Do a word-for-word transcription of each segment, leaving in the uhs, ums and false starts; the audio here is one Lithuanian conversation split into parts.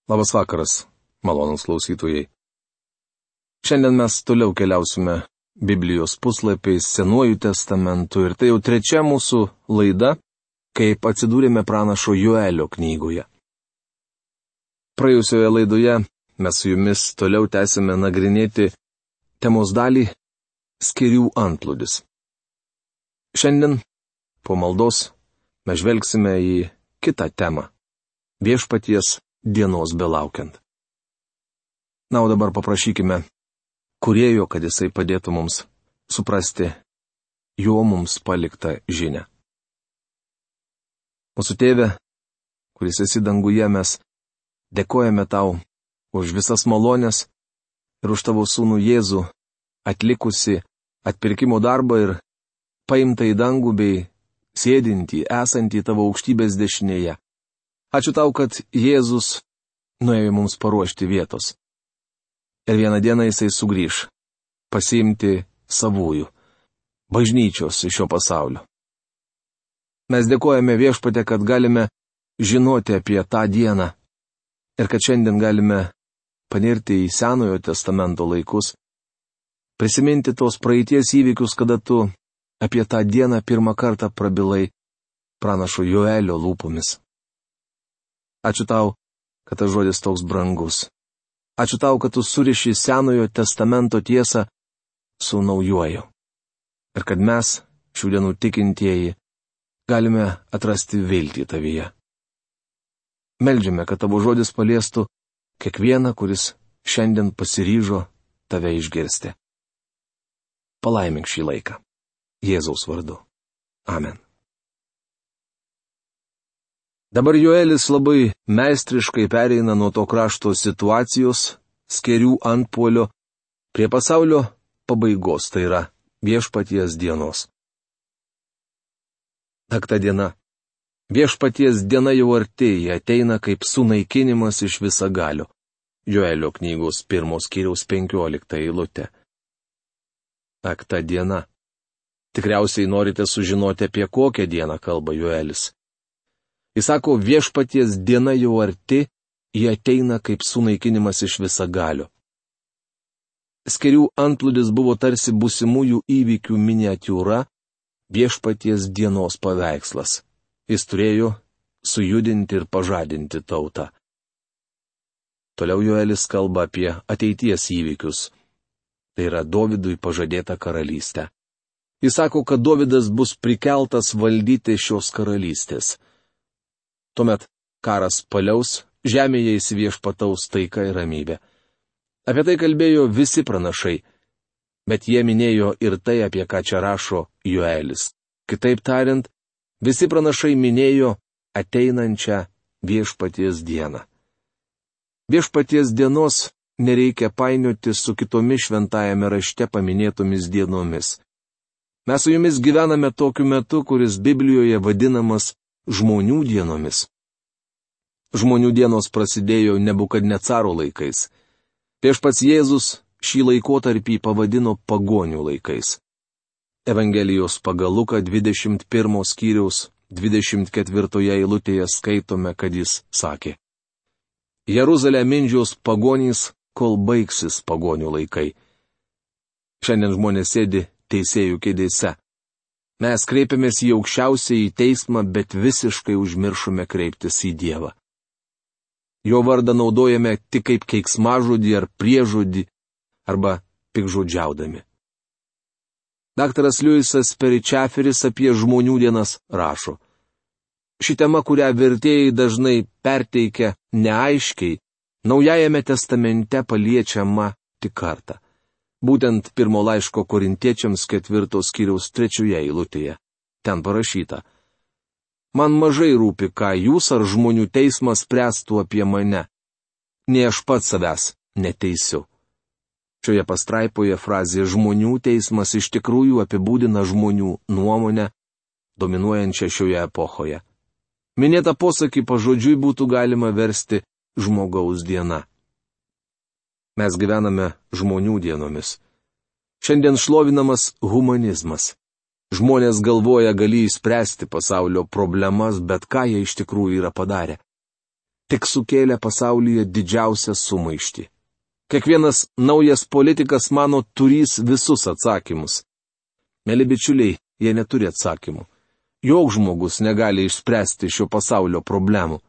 Labas vakaras, malonūs klausytojai. Šiandien mes toliau keliausime Biblijos puslapiais Senuoju testamentu ir tai jau trečia mūsų laida, kaip atsidūrėme pranašo Joelio knygoje. Praėjusioje laidoje mes su jumis toliau tęsime nagrinėti temos dalį skėrių antplūdis. Šiandien po maldos mes žvelgsime į kitą temą - viešpaties dienos belaukiant. Na, o dabar paprašykime Kūrėjo, kad jisai padėtų mums suprasti jo mums paliktą žinią. Mūsų Tėve, kuris esi danguje, mes dėkojame tau už visas malonės ir už tavo sūnų Jėzų atlikusi atpirkimo darbą ir paimtą į dangų bei sėdintį, esantį tavo aukštybės dešinėje. Ačiū tau, kad Jėzus nuėjo mums paruošti vietos. Ir vieną dieną jisai sugrįš pasiimti savųjų, bažnyčios iš šio pasaulio. Mes dėkojame Viešpatie, kad galime žinoti apie tą dieną ir kad šiandien galime panirti į Senojo testamento laikus, prisiminti tos praeities įvykius, kada tu apie tą dieną pirmą kartą prabilai pranašo Joelio lūpomis. Ačiū tau, kad tas žodis toks brangus. Ačiū tau, kad tu suriši Senojo testamento tiesą su naujuoju. Ir kad mes, šių dienų tikintieji, galime atrasti viltį tavyje. Meldžiame, kad tavo žodis paliestų kiekvieną, kuris šiandien pasiryžo tave išgirsti. Palaimink šį laiką. Jėzaus vardu. Amen. Dabar Joelis labai meistriškai pereina nuo to krašto situacijos, skėrių antpuolio, prie pasaulio pabaigos, tai yra viešpaties dienos. Ak ta diena. Viešpaties diena jau artėja, ateina kaip sunaikinimas iš visagalio. Joelio knygos pirmos skyriaus penkiolikta eilutė. Ak ta diena. Tikriausiai norite sužinoti, apie kokią dieną kalba Joelis. Jis sako, viešpaties diena jau arti, jie ateina kaip sunaikinimas iš visagalio. Skėrių antplūdis buvo tarsi būsimųjų įvykių miniatiūra, viešpaties dienos paveikslas. Jis turėjo sujudinti ir pažadinti tautą. Toliau Joelis kalba apie ateities įvykius. Tai yra Dovydui pažadėta karalystė. Jis sako, kad Dovydas bus prikeltas valdyti šios karalystės. Tuomet karas paliaus, žemėje įsiviešpataus taika ir ramybė. Apie tai kalbėjo visi pranašai, bet jie minėjo ir tai, apie ką čia rašo Joelis. Kitaip tariant, visi pranašai minėjo ateinančią viešpaties dieną. Viešpaties dienos nereikia painioti su kitomis šventajame rašte paminėtomis dienomis. Mes su jumis gyvename tokiu metu, kuris Biblijoje vadinamas žmonių dienomis. Žmonių dienos prasidėjo Nebukadnecaro laikais. Viešpats Jėzus šį laikotarpį pavadino pagonių laikais. Evangelijos pagal Luką dvidešimt pirmo skyriaus dvidešimt ketvirtoje eilutėje skaitome, kad jis sakė: Jeruzalę mindžios pagonys, kol baigsis pagonių laikai. Šiandien žmonės sėdi teisėjų kėdėse. Mes kreipiamės į aukščiausiąjį teismą, bet visiškai užmiršome kreiptis į Dievą. Jo vardą naudojame tik kaip keiksmažodį ar priežodį, arba pikžodžiaudami. Daktaras Liujisas Peričaferis apie žmonių dienas rašo: Ši tema, kurią vertėjai dažnai perteikia neaiškiai, Naujajame testamente paliečiama tik kartą. Būtent pirmo laiško Korintiečiams ketvirtos skyriaus trečioje eilutėje. Ten parašyta: Man mažai rūpi, ką jūs ar žmonių teismas spręstų apie mane. Nei aš pats savęs neteisiu. Šioje pastraipoje frazė žmonių teismas iš tikrųjų apibūdina žmonių nuomonę, dominuojančią šioje epochoje. Minėtą posakį pažodžiui būtų galima versti žmogaus diena. Mes gyvename žmonių dienomis. Šiandien šlovinamas humanizmas. Žmonės galvoja, gali išspręsti pasaulio problemas, bet ką jie iš tikrųjų yra padarę. tik sukėlė pasaulyje didžiausią sumaištį. Kiekvienas naujas politikas mano turys visus atsakymus. Mėly bičiuliai, jie neturi atsakymų. Joks žmogus negali išspręsti šio pasaulio problemų.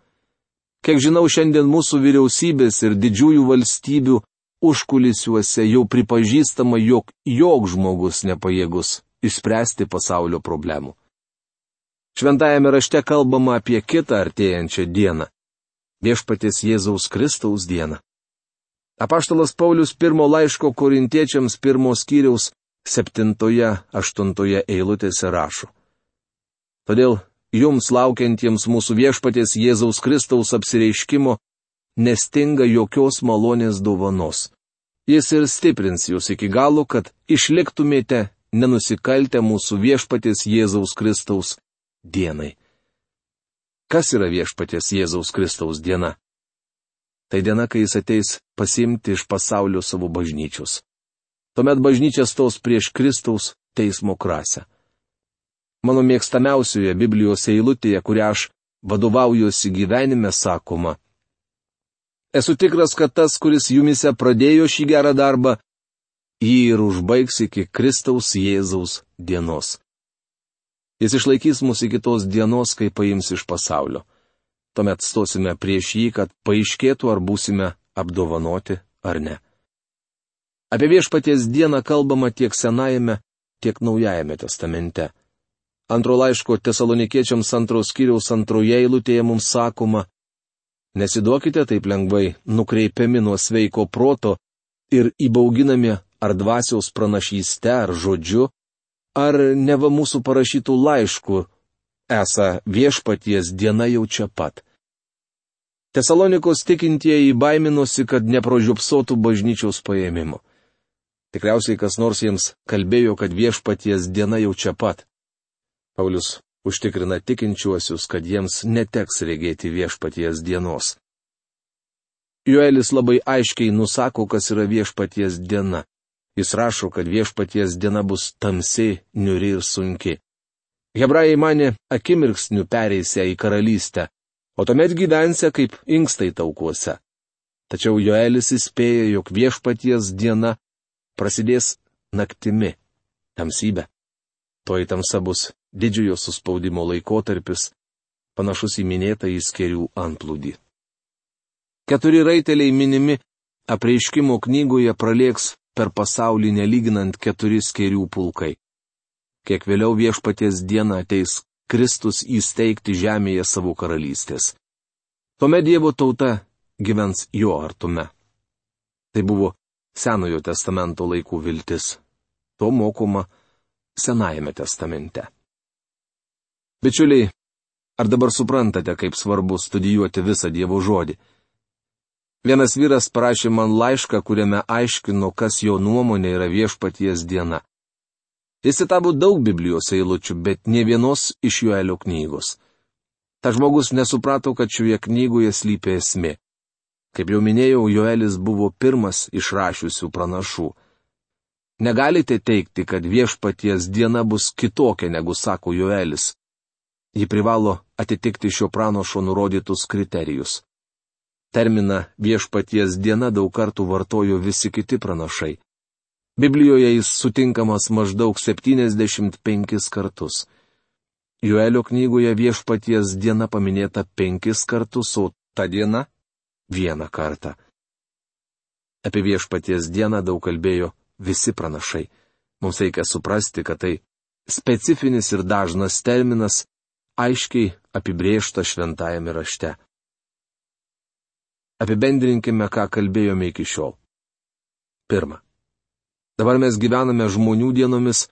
Kiek žinau, šiandien mūsų vyriausybės ir didžiųjų valstybių užkulisiuose jau pripažįstama, jog joks žmogus nepajėgus išspręsti pasaulio problemų. Šventajame rašte kalbama apie kitą artėjančią dieną - Viešpaties Jėzaus Kristaus dieną. Apaštalas Paulius pirmo laiško korintiečiams pirmos skyriaus septintoje, aštuntoje eilutėse rašo. Todėl jums laukiantiems mūsų Viešpaties Jėzaus Kristaus apsireiškimo nestinga jokios malonės dovanos. Jis ir stiprins jūs iki galo, kad išliktumėte nenusikaltę mūsų Viešpaties Jėzaus Kristaus dienai. Kas yra Viešpaties Jėzaus Kristaus diena? Tai diena, kai jis ateis pasiimti iš pasaulio savo bažnyčios. Tuomet bažnyčia stos prieš Kristaus teismo krasę. Mano mėgstamiausioje Biblijos eilutėje, kurią aš vadovaujuosi gyvenime, sakoma: Esu tikras, kad tas, kuris jumise pradėjo šį gerą darbą, jį ir užbaigs iki Kristaus Jėzaus dienos. Jis išlaikys mus iki tos dienos, kai paims iš pasaulio. Tuomet stosime prieš jį, kad paaiškėtų, ar būsime apdovanoti ar ne. Apie Viešpaties dieną kalbama tiek Senajame, tiek Naujajame testamente. Antro laiško Tesalonikiečiams antros skyriaus antroje eilutėje mums sakoma: Nesiduokite taip lengvai nukreipiami nuo sveiko proto ir įbauginami ar dvasiaus pranašyste, ar žodžiu, ar neva mūsų parašytų laiškų, esą Viešpaties diena jau čia pat. Tesalonikos tikintieji baiminosi, kad nepražiopsotų bažnyčios paėmimo. Tikriausiai kas nors jiems kalbėjo, kad Viešpaties diena jau čia pat. Paulius užtikrina tikinčiuosius, kad jiems neteks regėti Viešpaties dienos. Joelis labai aiškiai nusako, kas yra Viešpaties diena. Jis rašo, kad Viešpaties diena bus tamsi, niūri ir sunki. Hebrajai manė akimirksniu pereisę į karalystę, o tuomet gyvensę kaip inkstai taukuose. Tačiau Joelis įspėja, jog Viešpaties diena prasidės naktimi, tamsybė. Toji tamsa bus didžiojo suspaudimo laikotarpis, panašus į minėtą įskerių antplūdį. Keturi raiteliai minimi apreiškimo knygoje pralėks per pasaulį nelyginant keturi skėrių pulkai. Kiek vėliau Viešpaties dieną ateis Kristus įsteigti žemėje savo karalystės. Tuomet Dievo tauta gyvens jo artume. Tai buvo Senojo testamento laikų viltis. To mokoma Senajame testamente. Bičiuliai, ar dabar suprantate, kaip svarbu studijuoti visą Dievo žodį? Vienas vyras parašė man laišką, kuriame aiškino, kas jo nuomonė yra Viešpaties diena. Jis citavo daug Biblijos eilučių, bet ne vienos iš Joelio knygos. Ta žmogus nesuprato, kad šioje knygoje slypi esmė. Kaip jau minėjau, Joelis buvo pirmas išrašiusių pranašų. Negalite teigti, kad Viešpaties diena bus kitokia, negu sako Joelis. Ji privalo atitikti šio pranašo nurodytus kriterijus. Terminą Viešpaties diena daug kartų vartojo visi kiti pranašai. Biblijoje jis sutinkamas maždaug septyniasdešimt penkis kartus. Joelio knygoje Viešpaties diena paminėta penkis kartus, o ta diena vieną kartą. Apie Viešpaties dieną daug kalbėjo visi pranašai. Mums reikia suprasti, kad tai specifinis ir dažnas terminas, aiškiai apibrėžta šventajame rašte. Apibendrinkime, ką kalbėjome iki šiol. Pirma. Dabar mes gyvename žmonių dienomis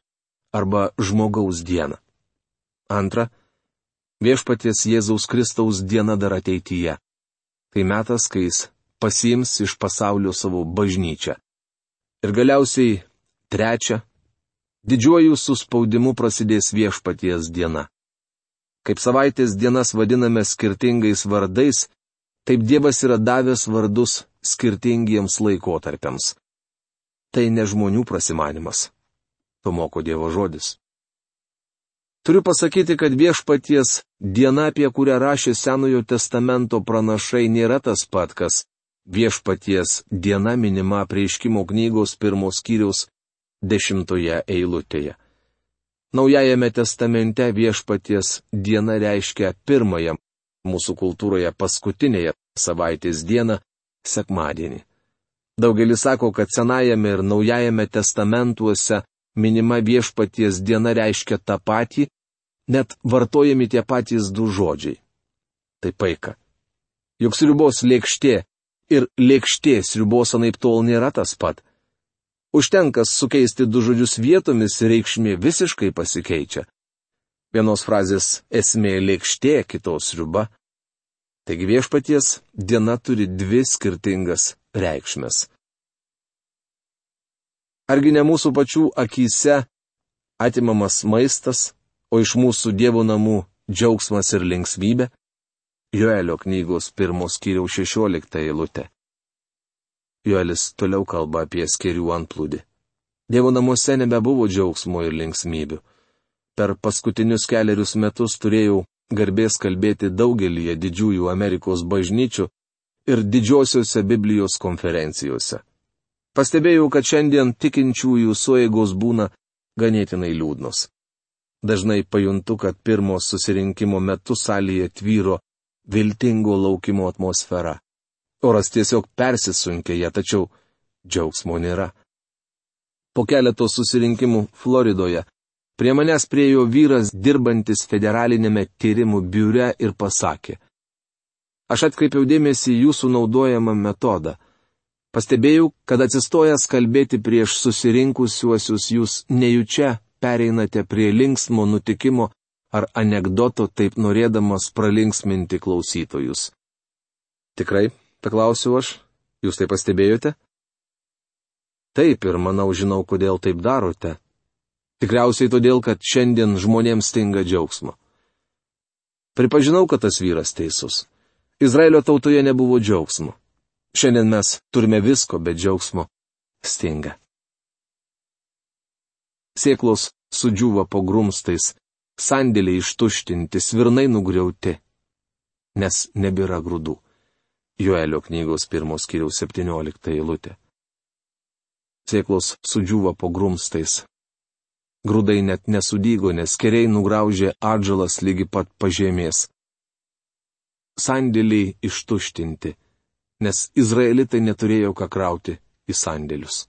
arba žmogaus dieną. Antra. Viešpaties Jėzaus Kristaus diena dar ateityje. Tai metas, kai jis pasiims iš pasaulio savo bažnyčią. Ir galiausiai, trečia. Didžiuoju suspaudimu prasidės Viešpaties diena. Kaip savaitės dienas vadiname skirtingais vardais, taip Dievas yra davęs vardus skirtingiems laikotarpiams. Tai ne žmonių prasimanimas. To moko Dievo žodis. Turiu pasakyti, kad Viešpaties diena, apie kurią rašė Senojo testamento pranašai, nėra tas pat, kas Viešpaties diena minima Apreiškimo knygos pirmos skyriaus dešimtoje eilutėje. Naujajame testamente Viešpaties diena reiškia pirmąją, mūsų kultūroje paskutinėje savaitės dieną, sekmadienį. Daugelis sako, kad Senajame ir Naujajame testamentuose minima Viešpaties diena reiškia tą patį, net vartojami tie patys du žodžiai. Tai paika. Juk sriubos lėkštė ir lėkštė sriubos anaiptol nėra tas pat. Užtenka sukeisti du žodžius vietomis ir reikšmė visiškai pasikeičia. Vienos frazės esmė lėkštė, kitos sriuba. Taigi Viešpaties diena turi dvi skirtingas reikšmes. Argi ne mūsų pačių akyse atimamas maistas, o iš mūsų Dievo namų džiaugsmas ir linksmybė? Joelio knygos pirmos skyriaus šešiolikta eilutė. Joelis toliau kalba apie skėrių antplūdį. Dievo namuose nebebuvo džiaugsmo ir linksmybių. Per paskutinius keliarius metus turėjau garbės kalbėti daugelyje didžiųjų Amerikos bažnyčių ir didžiosiuose Biblijos konferencijose. Pastebėjau, kad šiandien tikinčiųjų sueigos būna ganėtinai liūdnos. Dažnai pajuntu, kad pirmo susirinkimo metu salėje tvyro viltingo laukimo atmosfera. Oras tiesiog persisunkė ją, tačiau džiaugsmo nėra. Po keleto susirinkimų Floridoje prie manęs priėjo vyras dirbantis federalinėme tyrimų biure ir pasakė: Aš atkreipiau dėmesį į jūsų naudojamą metodą. Pastebėjau, kad atsistojęs kalbėti prieš susirinkusiuosius jūs nejučia pereinate prie linksmo nutikimo ar anegdoto, taip norėdamas pralinksminti klausytojus. Tikrai, paklausiau aš, jūs tai pastebėjote? Taip, ir manau žinau, kodėl taip darote. Tikriausiai todėl, kad šiandien žmonėms stinga džiaugsmo. Pripažinau, kad tas vyras teisus. Izraelio tautoje nebuvo džiaugsmo. Šiandien mes turime visko, bet džiaugsmo stinga. Sėklos sudžiūva po grumstais, sandėliai ištuštinti, svirnai nugriauti, nes nebėra grūdų. Joelio knygos pirmos skyriaus septyniolikta eilutė. Sėklos sudžiūva po grumstais. Grūdai net nesudygo, nes keriai nugraužė atžalas lygi pat pažemės. Sandėliai ištuštinti, nes izraelitai neturėjo ką krauti į sandėlius.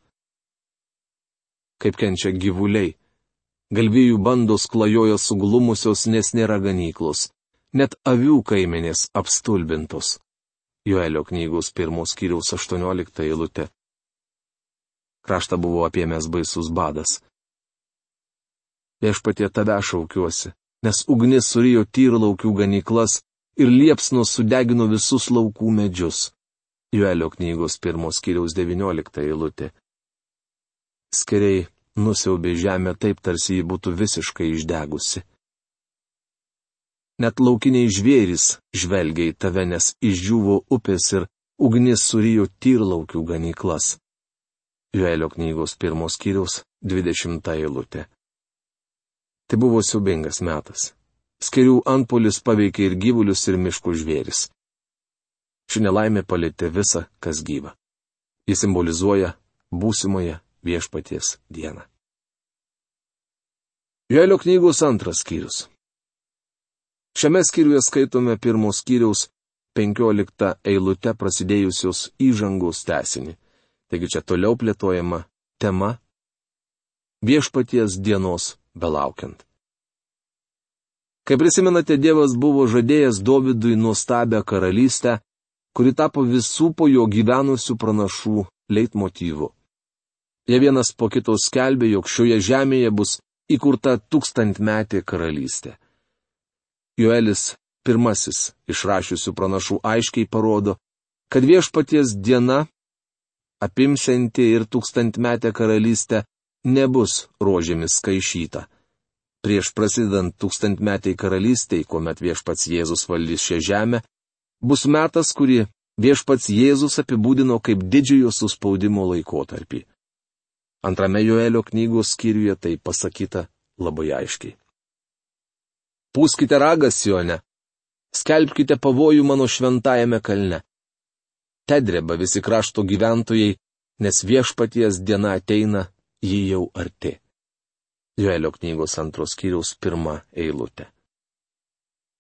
Kaip kenčia gyvuliai. Galvijų bandos klajojo suglumusios, nes nėra ganyklos. Net avių kaimenės apstulbintos. Joelio knygos pirmos skyriaus aštuoniolikta eilutė. Kraštą buvo apėmęs baisus badas. Viešpatie tave šaukiuosi, nes ugnis surijo tyrlaukių ganyklas ir liepsnos sudegino visus laukų medžius. Joelio knygos pirmos skyriaus devyniolikta eilutė. Skeriai nusiaubė žemę taip, tarsi ji būtų visiškai išdegusi. Net laukiniai žvėrys žvelgia į tave, nes išdžiūvo upės ir ugnis surijo tyrlaukių ganyklas. Joelio knygos pirmos skyriaus dvidešimta eilutė. Tai buvo siaubingas metas. Skerių antpuolis paveikė ir gyvulius, ir miškų žvėris. Ši nelaimė palietė visą, kas gyva. Jis simbolizuoja būsimoje Viešpaties dieną. Joelio knygos antras skyrius. Šiame skyriuje skaitome pirmos skyriaus penkioliktą eilutę prasidėjusios įžangos tęsinį. Taigi čia toliau plėtojama tema Viešpaties dienos belaukiant. Kaip prisimenate, Dievas buvo žadėjęs Dovydui nuostabią karalystę, kuri tapo visų po jo gyvenusių pranašų leitmotyvu. Jie vienas po kito skelbė, jog šioje žemėje bus įkurta tūkstantmetė karalystė. Joelis pirmasis išrašiusių pranašų aiškiai parodo, kad Viešpaties diena, apimsianti ir tūkstantmetę karalystę, nebus rožėmis skaišyta. Prieš prasidedant tūkstantmetei karalystei, kuomet Viešpats Jėzus valdys šią žemę, bus metas, kurį Viešpats Jėzus apibūdino kaip didžiojo suspaudimo laikotarpį. Antrame Joelio knygos skyriuje tai pasakyta labai aiškiai. Pūskite ragą Sione, skelbkite pavojų mano šventajame kalne. Te dreba visi krašto gyventojai, nes viešpaties diena ateina, ji jau arti. Joelio knygos antros skyriaus pirma eilutė.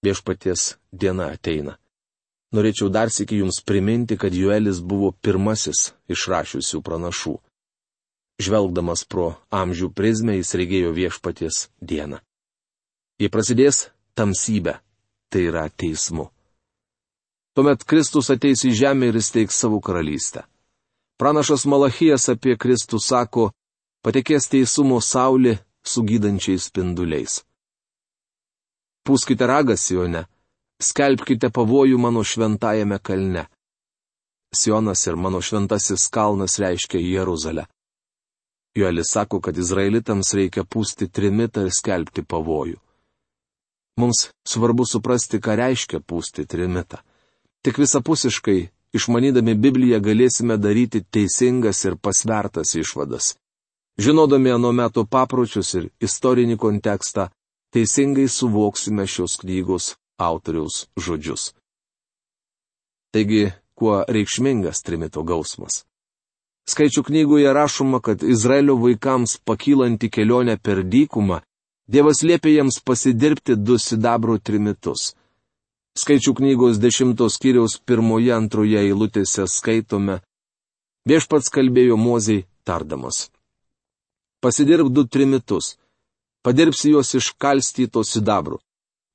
Viešpaties diena ateina. Norėčiau dar sykį jums priminti, kad Joelis buvo pirmasis išrašiusių pranašų. Žvelgdamas pro amžių prizmę jis regėjo viešpaties dieną. Jei prasidės tamsybė, tai yra teismu. Tuomet Kristus ateis į žemę ir įsteigs savo karalystę. Pranašas Malachijas apie Kristų sako, patekės teisumo saulė su gydančiais spinduliais. Pūskite ragą Sione, skelbkite pavojų mano šventajame kalne. Sionas ir mano šventasis kalnas reiškia Jeruzalę. Joelis sako, kad izraelitams reikia pūsti trimitą ir skelbti pavojų. Mums svarbu suprasti, ką reiškia pūsti trimitą. Tik visapusiškai, išmanydami Bibliją, galėsime daryti teisingas ir pasvertas išvadas. Žinodami ano meto papročius ir istorinį kontekstą, teisingai suvoksime šios knygos autoriaus žodžius. Taigi, kuo reikšmingas trimito gausmas? Skaičių knygoje rašoma, kad Izraelio vaikams pakylant į kelionę per dykumą, Dievas liepė jiems pasidirbti du sidabro trimitus. Skaičių knygos dešimtos skyriaus pirmoje antroje eilutėse skaitome, viešpats kalbėjo Mozei tardamas. Pasidirb du trimitus, padirbsi juos iš kalstyto sidabro,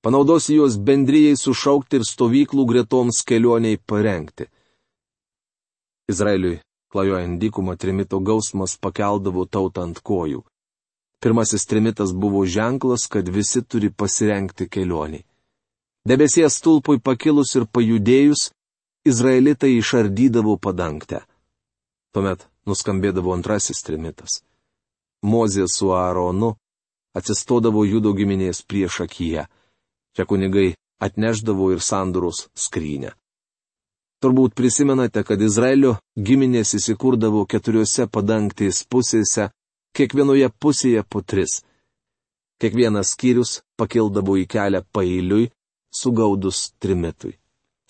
panaudosi juos bendrijai sušaukti ir stovyklų gretoms kelioniai parengti. Izraeliui, klajojant dykumą, trimito gausmas pakeldavo tautą ant kojų. Pirmasis trimitas buvo ženklas, kad visi turi pasirengti kelioniai. Debesies stulpui pakilus ir pajudėjus, izraelitai išardydavo padangtę. Tuomet nuskambėdavo antrasis trimitas. Mozė su Aaronu atsistodavo Judo giminės priešakyje. Čia kunigai atnešdavo ir sandoros skrynę. Turbūt prisimenate, kad Izraelio giminės įsikurdavo keturiose padangtės pusėse, kiekvienoje pusėje po tris. Kiekvienas skyrius pakildavo į kelią paeiliui, sugaudus trimitui.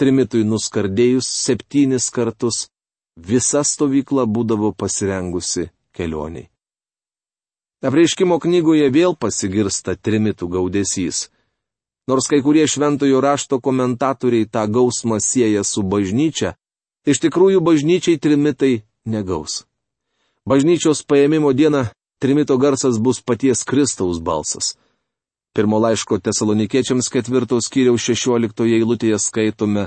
Trimitui nuskardėjus septynis kartus, visa stovykla būdavo pasirengusi kelioniai. Apreiškimo knygoje vėl pasigirsta trimitų gaudesys. Nors kai kurie šventojo rašto komentatoriai tą gausmą sieja su bažnyčia, iš tikrųjų bažnyčiai trimitai negaus. Bažnyčios paėmimo dieną trimito garsas bus paties Kristaus balsas. Pirmo laiško Tesalonikiečiams ketvirtos skyriaus šešioliktoje eilutėje skaitome,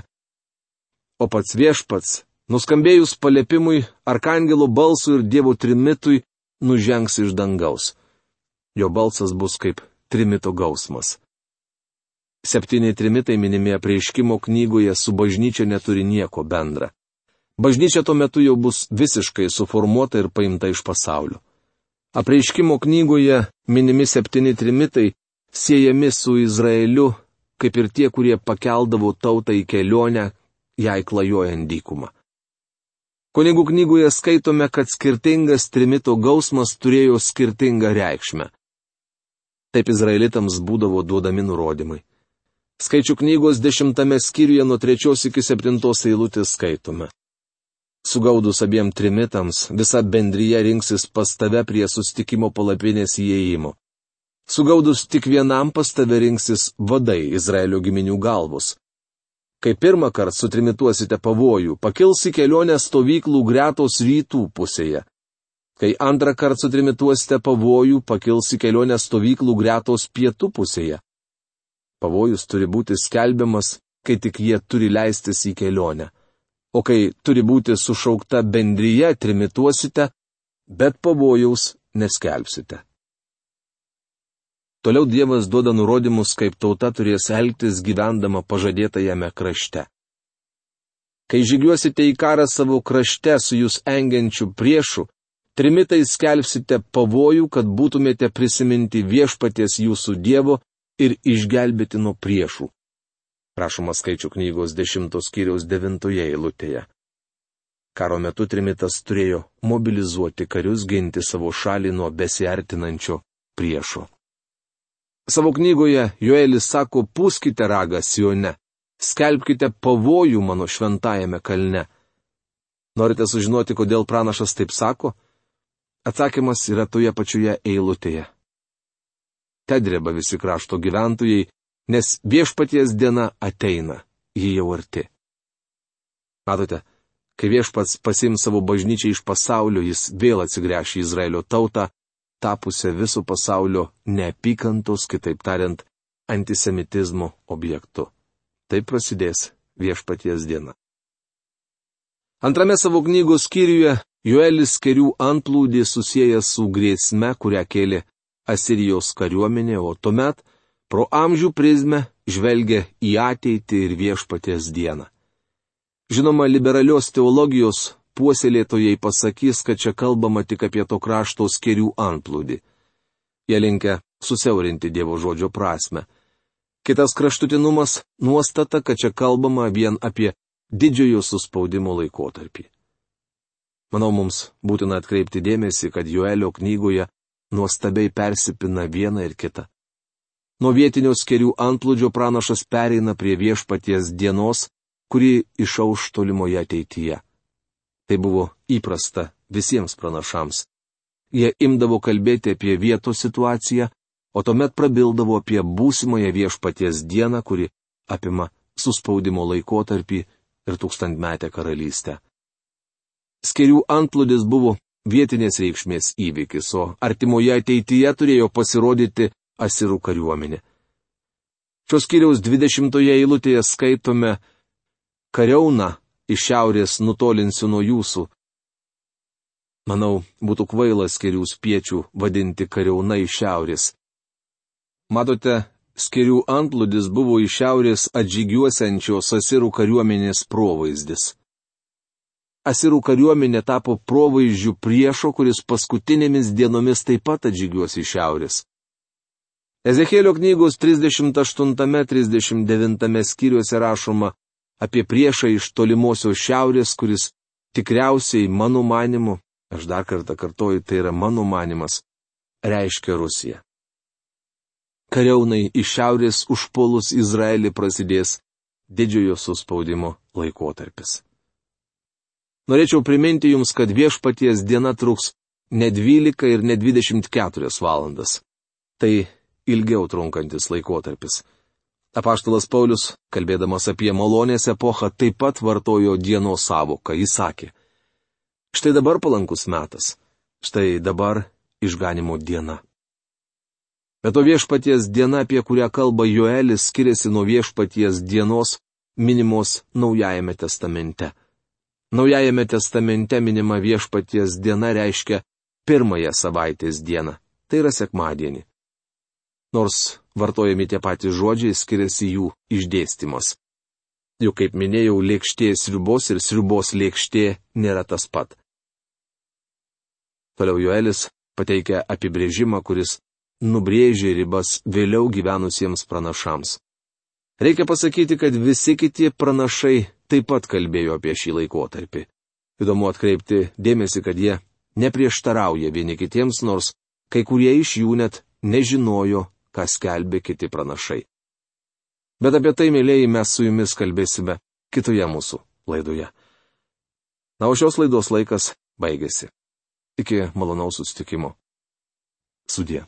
o pats viešpats, nuskambėjus paliepimui, arkangelo balsui ir Dievo trimitui, nužengs iš dangaus. Jo balsas bus kaip trimito gausmas. Septyni trimitai minimi apreiškimo knygoje su bažnyčia neturi nieko bendra. Bažnyčia tuo metu jau bus visiškai suformuota ir paimta iš pasaulio. Apreiškimo knygoje minimi septyni trimitai siejami su Izraeliu, kaip ir tie, kurie pakeldavo tautą į kelionę, jai klajojant dykumą. Kunigų knygoje skaitome, kad skirtingas trimito gausmas turėjo skirtingą reikšmę. Taip izraelitams būdavo duodami nurodymai. Skaičių knygos dešimtame skyriuje nuo trečios iki septintos eilutės skaitome. Sugaudus abiem trimitams, visa bendryje rinksis pas tave prie sustikimo palapinės įėjimo. Sugaudus tik vienam pas tave rinksis vadai Izraelio giminių galvos. Kai pirmą kartą sutrimituosite pavojų, pakils į kelionę stovyklų gretos rytų pusėje. Kai antrą kartą sutrimituosite pavojų, pakils į kelionę stovyklų gretos pietų pusėje. Pavojus turi būti skelbiamas, kai tik jie turi leistis į kelionę. O kai turi būti sušaukta bendryje, trimituosite, bet pavojaus neskelbsite. Toliau Dievas duoda nurodymus, kaip tauta turės elgtis gyvendama pažadėtajame krašte. Kai žygiuosite į karą savo krašte su jūs engiančiu priešu, trimitai skelbsite pavojų, kad būtumėte prisiminti viešpaties jūsų Dievo ir išgelbėti nuo priešų. Rašoma Skaičių knygos dešimtos skyriaus devintoje eilutėje. Karo metu trimitas turėjo mobilizuoti karius ginti savo šalį nuo besiartinančio priešo. Savo knygoje Joelis sako, pūskite ragą Sione, skelbkite pavojų mano šventajame kalne. Norite sužinoti, kodėl pranašas taip sako? Atsakymas yra toje pačioje eilutėje. Tedreba visi krašto gyventojai, nes viešpaties diena ateina, ji jau arti. Matote, kai viešpats pasiims savo bažnyčią iš pasaulio, jis vėl atsigręš į Izraelio tautą, tapusią viso pasaulio neapykantos, kitaip tariant, antisemitizmo objektu. Taip prasidės viešpaties diena. Antrame savo knygos skyriuje Joelis karių antplūdį susieja su grėsme, kurią kėlė Asirijos kariuomenė, o tuomet pro amžių prizmę žvelgia į ateitį ir viešpaties dieną. Žinoma, liberalios teologijos puoselėtojai pasakys, kad čia kalbama tik apie to krašto skėrių antplūdį. Jie linkę susiaurinti Dievo žodžio prasme. Kitas kraštutinumas - nuostata, kad čia kalbama vien apie didžiojo suspaudimo laikotarpį. Manau, mums būtina atkreipti dėmesį, kad Joelio knygoje nuostabiai persipina viena ir kita. Nuo vietinio skėrių antplūdžio pranašas pereina prie viešpaties dienos, kuri išauš tolimoje ateityje. Tai buvo įprasta visiems pranašams. Jie imdavo kalbėti apie vietos situaciją, o tuomet prabildavo apie būsimąją viešpaties dieną, kuri apima suspaudimo laikotarpį ir tūkstantmetę karalystę. Skėrių antplūdis buvo vietinės reikšmės įvykis, o artimoje ateityje turėjo pasirodyti asirų kariuomenė. Šios skyriaus dvidešimtoje eilutėje skaitome: kariauną iš šiaurės nutolinsiu nuo jūsų. Manau, būtų kvaila skėrių spiečių vadinti kariauna iš šiaurės. Matote, skėrių antplūdis buvo iš šiaurės atžygiuosiančios asirų kariuomenės provaizdis. Asirų kariuomenė tapo provaizdžių priešo, kuris paskutinėmis dienomis taip pat atžygiuos iš šiaurės. Ezechielio knygos trisdešimt aštuntame trisdešimt devintame skyriuose rašoma apie priešą iš tolimosios šiaurės, kuris tikriausiai mano manimu, aš dar kartą kartoju, tai yra mano manimas, reiškia Rusiją. Kariaunai iš šiaurės užpuolus Izraelį prasidės didžiojo suspaudimo laikotarpis. Norėčiau priminti jums, kad viešpaties diena truks ne dvylika ir ne dvidešimt keturias valandas. Tai ilgiau trunkantis laikotarpis. Apaštalas Paulius, kalbėdamas apie malonės epochą, taip pat vartojo dienos sąvoką. Jis sakė: štai dabar palankus metas, štai dabar išganimo diena. Bet o viešpaties diena, apie kurią kalba Joelis, skiriasi nuo viešpaties dienos minimos Naujajame testamente. Naujajame testamente minima viešpaties diena reiškia pirmąją savaitės dieną, tai yra sekmadienį. Nors vartojami tie patys žodžiai, skiriasi jų išdėstymas. Juk, kaip minėjau, lėkštė sriubos ir sriubos lėkštė nėra tas pat. Toliau Joelis pateikia apibrėžimą, kuris nubrėžė ribas vėliau gyvenusiems pranašams. Reikia pasakyti, kad visi kiti pranašai taip pat kalbėjo apie šį laikotarpį. Įdomu atkreipti dėmesį, kad jie neprieštarauja vieni kitiems, nors kai kurie iš jų net nežinojo, ką skelbė kiti pranašai. Bet apie tai, mėlyjeji, mes su jumis kalbėsime kitoje mūsų laidoje. Na, o šios laidos laikas baigėsi. Iki malonaus susitikimo. Sudie.